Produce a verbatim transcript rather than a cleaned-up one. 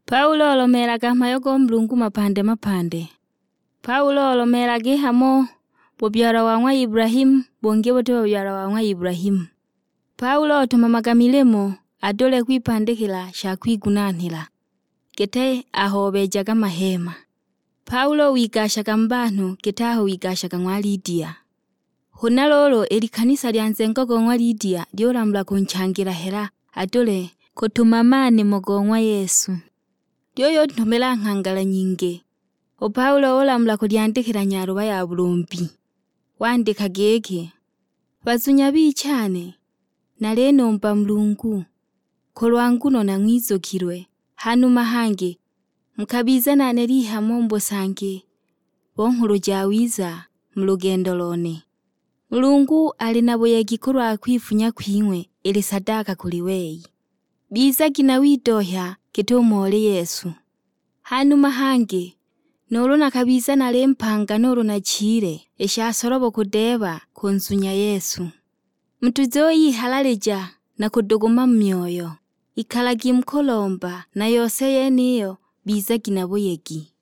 Paulo olomeelaga mhayo go Mulungu mapande mapande. Paulo olomeelaga i hamo bubyalwa wa ng'wa Ibulahimu, bungi buti bubyalwa wa ng'wa Ibulahimu. Paulo otumamaga milimo adule kwipandikila sha kwigunanhila, giti aho obeejaga maheema. Paulo wigashaga mu banhu giti aho wigashaga ng'wa Lidia. Huna luulu i likanisa lya nzengo go ng'wa Lidia lyulamula kunchangila hela adule kutumama nimo go ng'wa Yesu. Lyuyuntumila nghangala nyingi. U Paulo ulamula kulyandikila nyaluba ya bulumbi. Wandika giki, "Bazunya bichane, nalinumba Mulungu, kulwa nguno nang'wizukilwe, hanuma hangi mukabiza nane lihamo mu busangi bo Nghulu Jawiza mu lugendo lone. Mulungu ali na buyegi kulwa kwifunya kwing'we ili sadaka kuli wei. Bizagi na widohya git'umo oli Yesu. Hanuma hangi, nuulu nakabiza nali mpanga nuulu nachile, i sha solobo kudeeba kunzunya Yesu. Mutuzuyihaalalija na kuduguma mu myoyo. Ikalagi mu kulomba, na yose yeniyo bizagi na buyegi."